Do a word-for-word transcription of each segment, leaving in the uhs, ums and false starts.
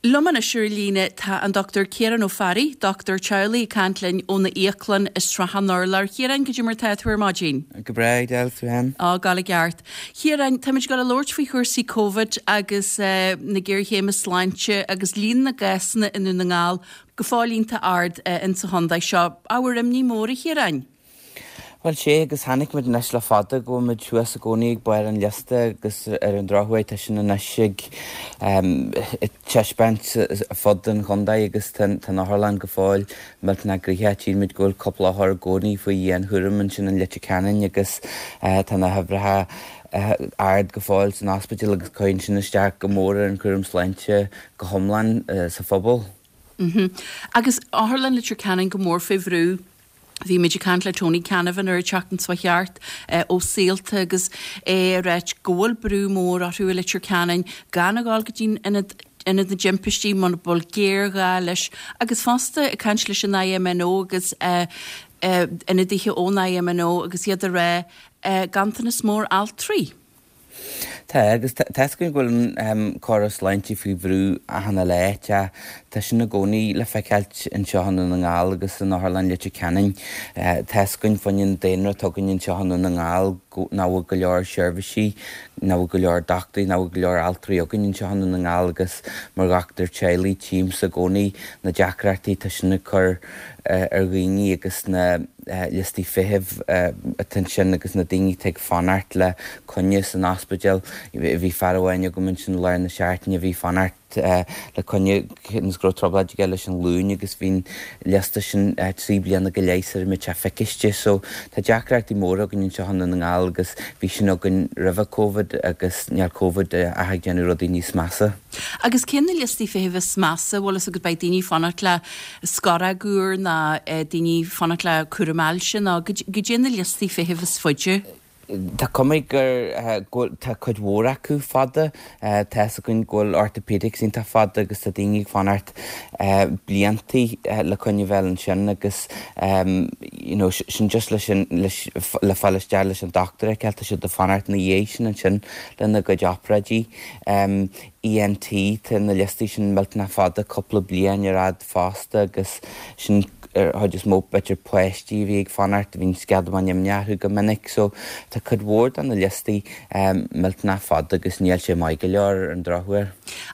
Liom anois ar líne tá an Dr Ciarán Ó Fearraigh, dochtúir teaghlaigh ag caint linn óna íoclann i Srath an Urláir. Ciarán, goidé mar tá tú ar maidin. Go breá Edel tú féin. Á gal i gceart. Ciarán, táimid ag gabháil a labhairt faoi chúrsaí Covid agus uh, na géarchéime sláinte agus líon na gcásanna i nDún na nGall go fóill iontach ard uh, in sa chontae seo. Ábhar imní mór a Chiaráin. Well sé agus chonaic muid anois le fada go muid thuas i gcónaí ag barr an liosta agus ar an drochuair tá sin anois ag taispeáint fud an chontae agus tá an otharlann go fóill millteanach gnoitheach tchímid go bhfuil cúpla othar i gcónaí faoi dhianchúram ansin in Leitir Ceanainn agus tá na huimhreacha ard go fóill san ospidéal agus cuireann sin isteach go mór ar an chúram sláinte go hiomlán sa phobal. Mm -hmm. Agus otharlann Leitir Ceanainn go mór fé bhrú Bhí muid ag caint le Tony Canavan ar an tseachtain seo thart ó Saolta agus é ag ráit go bhfuil brú mór orthu i Leitir Ceanainn gan a ghabháil go dtí ionad ionad na dtimpistí muna bhfuil géarghá leis agus fosta ag caint leis an IMNO agus uh, uh, ionadaithe ón IMNO agus iad ag rá uh, ganntanas mór altraí. Tá agus tá go bhfuil an córas sláinte faoi bhrú achan lá tá sin i gcónaí le feiceáil anseo i nDún na nGall agus san otharlann Leitir Ceanainn. Tá goin fann daonra tugann anseo i nDún na nGall nach bhfuil go leor seirbhísí, nach bhfuil go leor dochtúirí, nach bhfuil go leor altraí againn anseo i nDún na nGall agus mar dhochtúir teaghlaigh tchímse i gcónaí na deacrachtaí tá sin ag cur ar dhaoine agus na liostaí feithimh atá sin agus na daoine ag fanacht le coinne san ospidéal. Bhí fear amháin agam ansin lár na seachtaine bhí fanacht le coinne go raibh trioblóid aige leis an ghlúin agus bhí'n liosta sin trí bliana go leith ar mit feiciste, so tá deacrachtaí móra againn anseo i nDún na nGall agus bhí sin againn roimhe Covid agus níl Covid ach ag déanamh rudaí níos measa. Agus cén na liostaí feithimh is measa bhfuil agus beidh daoine fanacht le scoradh ná daoine fanacht le cúram ailse ná goidé na liostaí feithimh is faide. Tá cuma gur tá cuid mhór acu fada tá againn go bhfuil orthopedics iontach fada agus tá daoine ag fanacht bliantaí le coinne bheith ansin agus you know, sin just leis sin le fáil isteach leis an dochtúir a tá siad ag fanacht na dhiaidh sin ansin lena gcuid obráidí. Um, ENT tá na liostaí sin millteanach fada cúpla bliain ar fhad fosta agus sin ar chuid is mó b'fhéidir páistí bhí ag fanacht bhíonn sceadamán imní go minic so tá cuid mhór de na liostaí um, millteanach fada agus níl sé maith go leor ar an drochuair.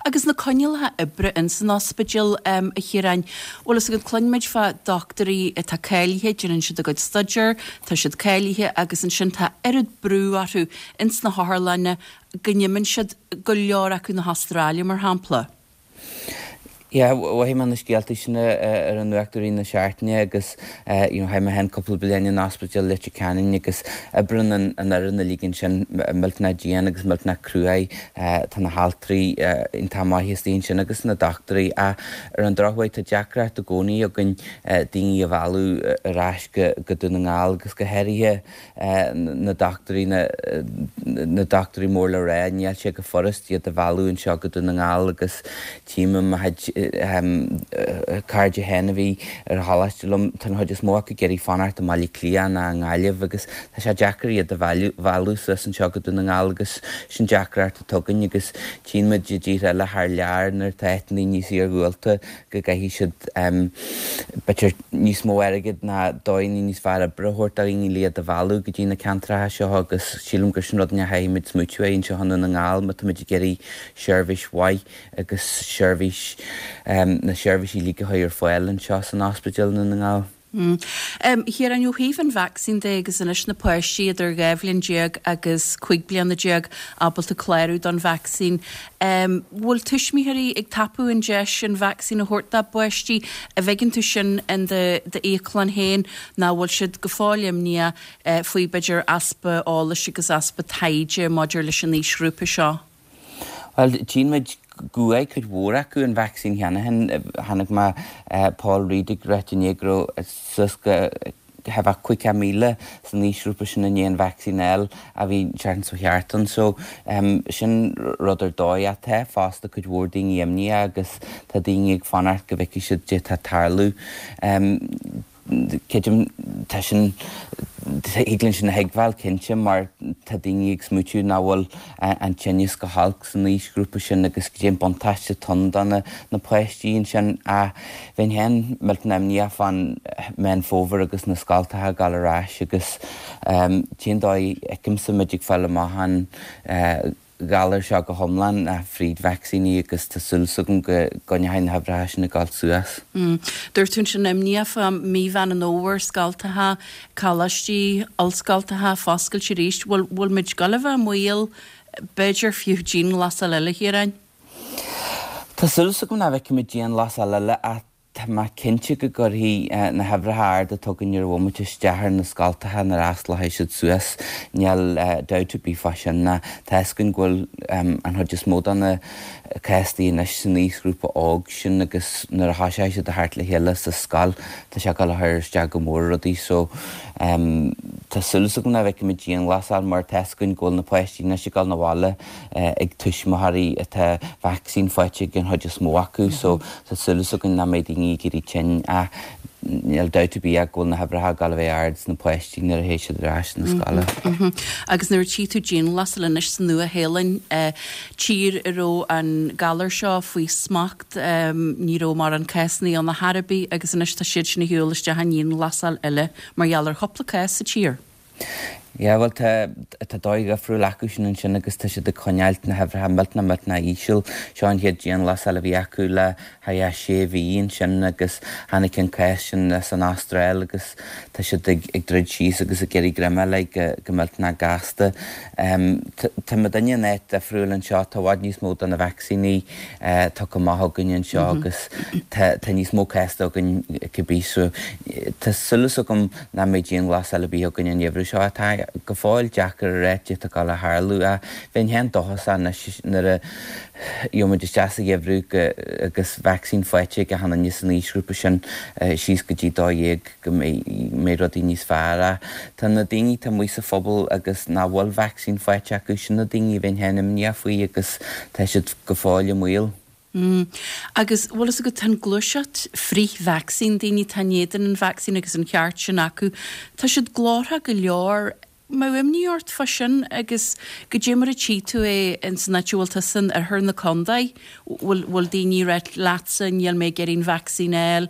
Agus na coinníollacha oibre in san ospidéal um, a Chiaráin, bhfuil fhios agat cluinimid fá dochtúirí atá cáilithe, déanann siad a gcuid staidéir, tá siad cáilithe agus ansin tá oiread brú orthu ins na hotharlanna go n-imíonn siad go leor acu na hAstráile mar shampla. Yeah, mhothaigh mé na scéaltaí sin ar an nuacht i rith na seachtaine agus you know, chaith mé féin cúpla bliain in ospidéal Leitir Ceanainn agus oibríonn an an fhoireann uilig ansin millteanach dian agus millteanach cruaidh tá na haltraí iontach maith istigh ansin agus na dochtúirí a ar an drochuair tá deacracht i gcónaí againn daoine a mhealladh ar ais go go Dún na nGall agus go háirithe na dochtúirí na na dochtúirí mór le rá níl sé go furast iad a mhealladh anseo go Dún na nGall agus tchím mo chuid cairde féin a bhí ar choláiste liom tá an chuid is mó acu ag iarraidh fanacht i mBaile Átha Cliath ná i nGaillimh agus tá sé deacair iad a mhealladh suas anseo go Dún na nGall agus sin deacracht atá againn agus tchíonn muid i dtíortha eile thar lear nuair atá áiteanna níos iargúlta go gcaithfidh siad b'fhéidir níos mó airgid ná dóigheanna níos fearr oibre a thabhairt do dhaoine le iad a mhealladh go dtí na ceantracha seo agus sílim gur sin rud a chaithfimid smaoitiú air anseo i nDún na nGall má táimid ag iarraidh seirbhís mhaith agus seirbhís um, na seirbhísí uilig a chur ar fáil anseo san ospidéal i nDún na nGall. Mm. Um, Ciarán ó thaobh an vacsaín de agus anois na páistí idir dhá bhliain déag agus cúig bliana déag ábalta clárú don vacsaín. Um, bhfuil tuismitheoirí ag tapú an deis an vacsaín a thabhairt dá bpáistí a bhfeiceann tú sin in d'íoclann féin ná bhfuil siad go fóill imníoch uh, faoi b'fhéidir easpa eolais agus easpa taighde maidir leis an aoisghrúpa seo. Well, tchíonn muid go bhfuair cuid mhór acu an vacsaín cheana féin chonaic mé Paul Reid ag rá inné go raibh suas go bheith caoga míle san aoisghrúpa sin i ndiaidh an vacsaín eile a bhí seachtain seo thart ann so um, sin rud ar dóigh atá fosta cuid mhór daoine imníoch agus tá daoine ag fanacht go bhfeicfidh siad cad tá ag tarlú. Um, Creidim tá sin thig linn sin a thuigbheáil cinnte mar tá daoine ag smaoitiú nach bhfuil an tinneas go holc san aoisghrúpa sin agus goidé an buntáiste atá ann do na na páistí ansin. Ach bheinn féin millteanach imníoch fán Meán Fómhair agus na scoltacha ag dul ar ais agus t-aon dóigh a fheicimse muid ag fáil amach an galar seo go hiomlán ná fríd vacsaíní agus tá súil agam go gcoinneoidh na huimhreacha sin ag dul suas. Dúirt tú ansin imníoch fá mí Mheán an Fhómhair, scoltacha, coláistí, ollscoltacha foscailte arís. Bhfuil bhfuil muid ag dul a bheith i mbaol, b'fhéidir fiú dianghlasáil eile, a Chiaráin? Tá súil agam nach bhfeicfimid dianghlasáil eile ach Tá mé cinnte go gcuirfidh na huimhreacha arda atá againn ar an bhomaite isteach ar na scoltacha nuair a osclóidh siad suas. Níl dabht ar bith fá sin ná tá fhios againn go bhfuil an chuid is mó de na cásanna anois san aoisghrúpa óg sin agus nuair a thoiseoidh siad a theacht le chéile sa scoil tá sé ag dul a chur isteach go mór ar rudaí so tá súil agam nach bhfeicfimid dianghlasáil mar tá fhios againn go bhfuil na páistí anois ag dul 'na bhaile ag tuismitheoirí atá vacsaín faighte ag an chuid is mó acu so tá súil againn nach mbeidh daoine ag éirí tinn ach níl dabht ar bith ach go bhfuil na huimhreacha ag dul a bheith ard sna páistí nuair a théid siad ar ais na scoile. Agus nuair a tchí tú dianghlasáil anois sa Nua-Shéalainn, tír a raibh an galar seo faoi smacht, ní raibh mórán cásanna ann ar chor ar bith agus anois tá siad sin ag siúl isteach i ndianghlasáil eile mar gheall ar chúpla cás sa tír. Yeah, bhuel tá tá dóigh dhifriúil acu sin ansin agus tá siad ag coinneáilt na huimhreacha millteanach millteanach íseal. Seo an chéad dianghlasáil a bhí acu le haghaidh sé mhí ansin agus tháinig an cás sin as an Astráil agus tá siad ag ag druid síos agus ag iarraidh greim a fháil go go millteanach gasta. Tá muidinne in áit difriúil anseo, tá i bhfad níos mó de na vacsaíní tugtha amach againn anseo agus tá tá níos mó cás againn cibé so tá súil agam nach mbeidh dianghlasáil ar bith againn an geimhreadh seo. Tá go fóill deacair a rá cad atá ag dul a tharlú ach bheinn féin dóchasach anois nuair a gheobhaimid isteach sa gheimhreadh agus vacsaín faighte ag achan duine san aoisghrúpa sin síos go dtí dó dhéag go mbeidh rudaí níos fearr ach tá na daoine atá amuigh sa phobal agus nach bhfuil vacsaín faighte acu, sin na daoine a bheinn féin imníoch faoi agus tá siad go fóill i mbaol. Mm. Agus bhfuil fhios agat, tá an gluaiseacht frith-vacsaín, daoine atá in éadan an vacsaín agus an ceart sin acu, tá siad glórthach go leor. Mbeadh imní ort fá sin agus goidé mar a tchí tú é ins an áit a bhfuil tusa in oirthear na contae, bhfuil, bhfuil daoine ag ráit leatsa níl mé ag iarraidh an vacsaín a fháil,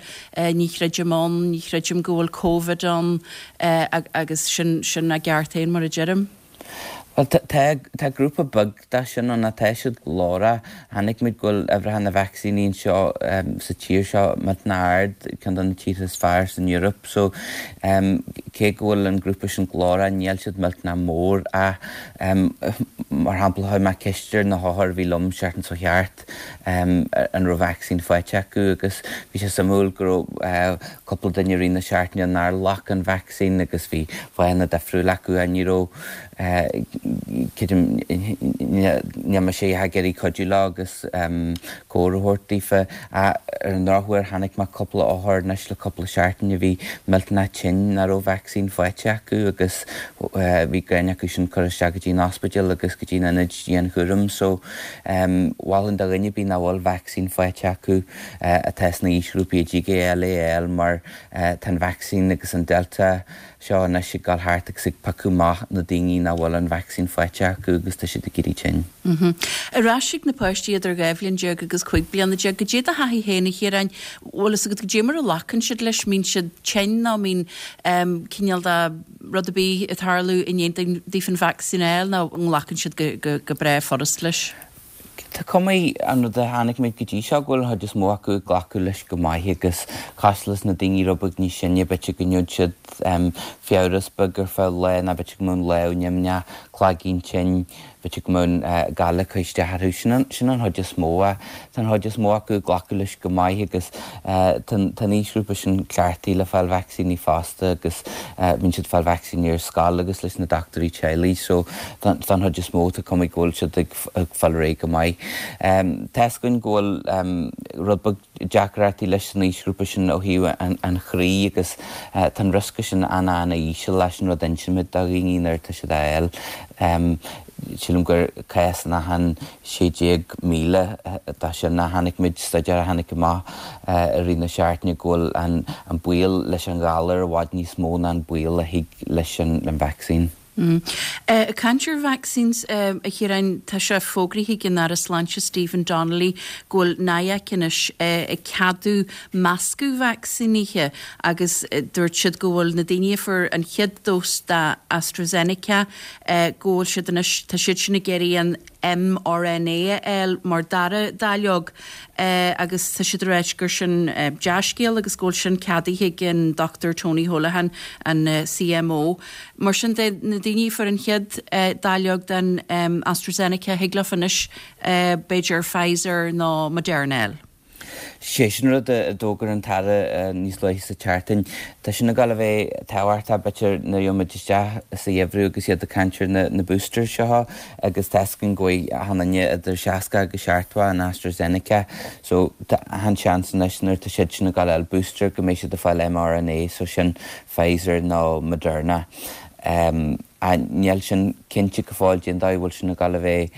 ní chreidim ann, ní chreidim go bhfuil Covid ann agus sin, sin a gceart féin mar a deirim. Bhuel, tá, tá grúpa beag de sin ann, tá siad glórach. Chonaic muid go bhfuil uimhreacha na vacsaíní anseo sa tír seo millteanach ard, ceann de na tíortha is fearr san Eoraip. So, cé go bhfuil an grúpa sin glórach, níl siad millteanach mór ach, mar shampla, chuir mé ceist ar na hothair a bhí liom seachtain seo thart an raibh vacsaín faighte acu agus bhí sé suimiúil go raibh cúpla duine i rith na seachtaine nár ghlac an vacsaín agus bhí fáthanna difriúla acu ach ní raibh Creidim, níl mise ag iarraidh cuidiú leo agus comhairle a thabhairt daofa. Ar an ndrochuair, chonaic mé cúpla othar anois le cúpla seachtain a bhí millteanach tinn nach raibh vacsaín faighte acu agus bhí gráin acu sin cur isteach go dtí an ospidéal agus go dtí an ionad dianchúraim. So, mholfainn do dhuine ar bith nach bhfuil vacsaín faighte acu atá sna haoisghrúpaí a dtig é a fháil é a fháil mar tá an vacsaín agus an Delta seo anois ag dul thart agus ag piocadh amach na daoine nach bhfuil an vacsaín faighte acu agus tá siad ag éirí tinn. Ar ais ag na páistí idir dhá bhliain déag agus cúig bliana déag, goidé do thaithí féin, a Chiaráin, bhfuil fhios agat goidé mar a ghlacann siad leis, mbíonn siad tinn nó mbíonn cineál de rud ar bith ag tarlú i ndiaidh daofa an vacsaín a fháil nó an nglacann siad go breá furast leis? Tá cuma an rud a chonaic muid go dtí seo go bhfuil an chuid is mó acu ag glacadh leis go maith agus cosúil leis na daoine rud beag níos sine, b'fhéidir go ngeobhaidh siad fiabhras beag ar feadh lá nó b'fhéidir go mbeadh an lámh nimhneach, cloigín tinn, b'fhéidir go mbeadh an gal ag cur isteach orthu. Sin an sin an chuid is mó. Tá an chuid is mó acu ag glacadh leis go maith agus tá an aoisghrúpa sin cleachtaithe le fáil vacsaíní fosta agus bíonn siad ag fáil vacsaíní ar scoil agus leis na dochtúirí teaghlaigh so don chuid is mó tá cuma go bhfuil siad ag fáil ar aghaidh go maith. Tá fhios againn go bhfuil rud beag deacrachtaí leis san aoisghrúpa sin ó thaobh an chroí agus tá an riosca sin an-an-íseal leis an rud a insímid do dhaoine nuair atá siad á fháil. Sílim gur cás in achan sé déag míle de sin a chonaic muid, staidéar a tháinig amach i rith na seachtaine go bhfuil an baol leis an ghalar i bhfad níos mó ná an baol a thig leis an vacsaín. Ag caint ar vaccines, a Chiaráin, tá sé fógraithe ag an Aire Sláinte Stephen Donnelly go bhfuil NIAC anois ag ceadú meascadh vacsaínithe agus dúirt siad go bhfuil na daoine a fuair an chéad dós de AstraZeneca go bhfuil siad anois, tá siad sin ag iarraidh an mRNA a fháil mar dara dáileog agus tá siad ag ráit gur sin dea-scéal agus go bhfuil sin ceadaithe ag an Dochtúir Tony Holohan, an C M O. Mar sin de, na daoine a fuair an chéad dáileog den AstraZeneca, thig leo anois b'fhéidir Pfizer nó Moderna a fháil. Sé sin rud a d'fhógair an tAire níos luaithe sa tseachtain. Tá sin ag dul a bheith tábhachtach b'fhéidir nuair a gheobhaidh muid isteach sa gheimhreadh agus iad ag caint ar na boosters seo agus tá 'fhios againn go bhfaighidh achan duine idir seasca agus seachtó an AstraZeneca. So tá an seans anois nuair atá siad sin ag dul a fháil booster go mbeidh siad ag fáil m R N A, so sin Pfizer nó Moderna. Um, níl sin cinnte go fóill cén dóigh bhfuil sin ag dul a bheith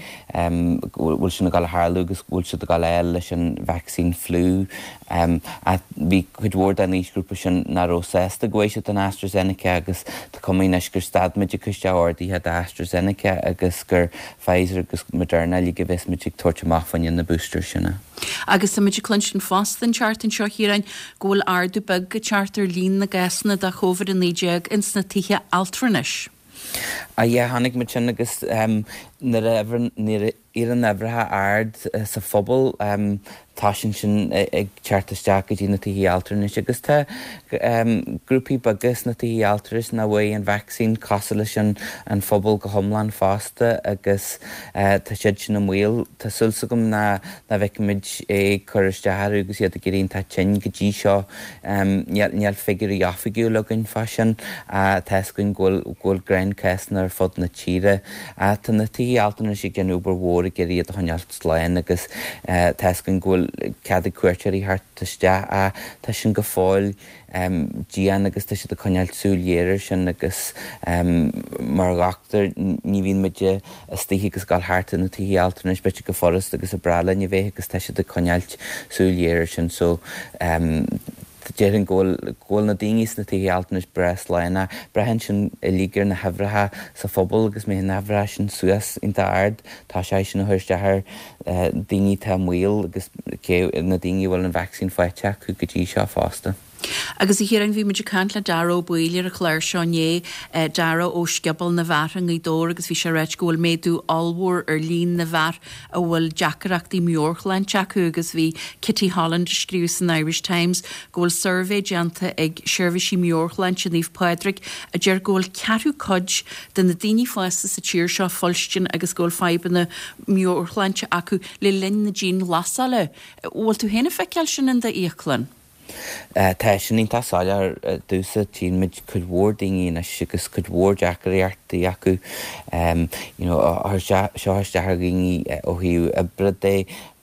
bhfuil sin ag dul a tharlú agus bhfuil siad ag dul a fháil leis an vaccine flu. Um, bhí cuid mhór den aoisghrúpa sin nach raibh sásta go bhfaighidh siad an AstraZeneca agus tá cuma anois gur stad muid ag cur isteach orduithe d'AstraZeneca agus gur Pfizer agus Moderna uilig a bheas muid ag tabhairt amach fá choinne na booster sin. Agus tá muid ag cluinstin fosta an tseachtain seo, Chiaráin, go bhfuil ardú beag ag teacht ar líon na gcásanna de Covid a naoi déag ins na tithe altranais. A yeah, chonaic muid sin agus um, nuair a nuair a éiríonn uimhreacha ard sa phobal um, tá sin sin ag teacht isteach go dtí na tithe altranais agus tá um, grúpaí beaga sna tithe altranais nach bhfuil an vaccine cosúil leis an, an phobal go hiomlán fosta agus uh, tá siad sin i mbaol. Tá súil agam ná ná bhfeicfimid é cur isteach orthu agus iad ag éirí tinn go dtí seo um, níl figiúirí oifigiúil againn fá sin uh, tá againn go bhfuil gnáthchásanna ar fud na tíre. Uh, tá na tithe altranais ag déanamh obair mhór ag iarraidh iad a choinneáil slán agus uh, tá againn go bhfuil cead ag cuairteoirí theacht isteach a tá sin go fóill um, dian agus tá siad ag coinneáil súil ghéar air sin agus um, mar dhochtúir ní bhíonn muid istigh agus ag dul thart na tithe altranais b'fhéidir go furast agus is breá linn a bheith agus tá siad ag coinneáil súil ghéar air sin so um, déarfainn go bhfuil na daoine sna tithe altranais breá slán. Braitheann sin uilig ar na huimhreacha sa phobal agus má na huimhreacha sin suas iontach ard tá sé sin ag cur isteach ar daoine atá i mbaol agus na daoine bhfuil an vaccine faighte acu go dtí seo fosta. Agus a Chiaráin, bhí muid ag caint le Dara Ó Baoill ar an chlár seo inné, Dara ó Scioból na bhFear i nGaoth Dobhair, agus bhí sé ag ráit go bhfuil méadú ollmhór ar líon na bhfear a bhfuil deacrachtaí meabhairshláinte acu agus bhí Kitty Holland ag scríobh san Irish Times go bhfuil suirbhé déanta ag seirbhísí meabhairshláinte Naomh Pádraig a deir go bhfuil ceathrú cuid de na daoine fásta sa tír seo fuilstin agus go bhfuil fadhbanna meabhairshláinte acu le linn na dianghlasála. Bhfuil tú féin ag feiceáil sin in d'íoclann? Tá sin iontach soiléir domhsa. Tchíonn muid cuid mhór daoine anois agus cuid mhór deacrachtaí acu you know, seo isteach ar dhaoine ó thaobh oibre de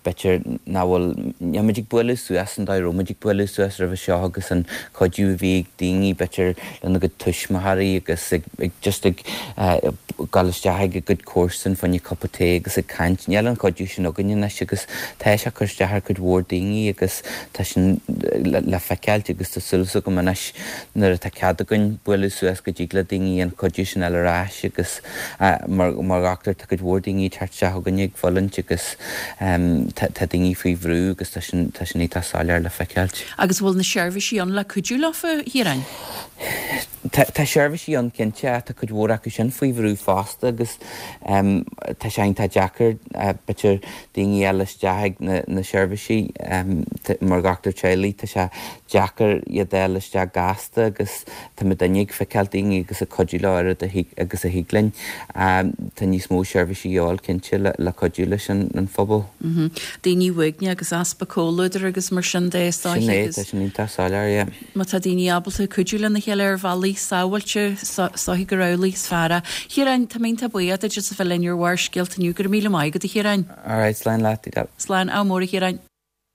b'fhéidir nach bhfuil muid ag bualadh suas an dóigh a raibh muid ag bualadh suas roimhe seo agus an cuidiú a bhí ag daoine b'fhéidir lena gcuid tuismitheoirí agus ag, ag just ag uh, dul isteach ag a gcuid comharsan fá choinne cupa tae agus ag caint. Níl an cuidiú sin againn anois agus tá sé cur isteach ar cuid mhór daoine agus tá sin le, le feiceáil agus tá súil agam anois nuair atá cead againn bualadh suas go dtig le daoine an cuidiú sin eile ar ais agus uh, mar, mar dhochtúir tá cuid mhór daoine teacht isteach chugainn ag fulaingt agus um, tá daoine faoi bhrú agus tá sin tá sin iontach soiléir le feiceáil. Agus bhfuil na seirbhísí ann le cuidiú leofa, a Chiaráin? Tá seirbhísí ann cinnte, tá cuid mhór acu sin faoi bhrú fosta agus um, tá sé tá deacair uh, b'fhéidir daoine eile isteach ag na, na seirbhísí um, mar dhochtúir teaghlaigh tá sé deacair iad eile isteach gasta agus tá muidinne ag feiceáil daoine agus ag cuidiú leo agus a thig linn. Um, tá níos mó seirbhísí ann cinnte le, le cuidiú leis an, an phobal. Mm -hmm. Daoine uaigneacha agus easpa comhluadair agus mar sin de. Sin é, tá sin iontach soiléir, yeah. Má tá daoine ábalta cuidiú lena chéile ar bhealaí sábháilte soithí go rálaí is fearr. Chiaráin, tá mé iontach buíoch duit as a bheith linn ar Bharrscéalta inniu. Go raibh míle maith agat, a Chiaráin. Alright, slán leat. Slán, ádh mór, a Chiaráin.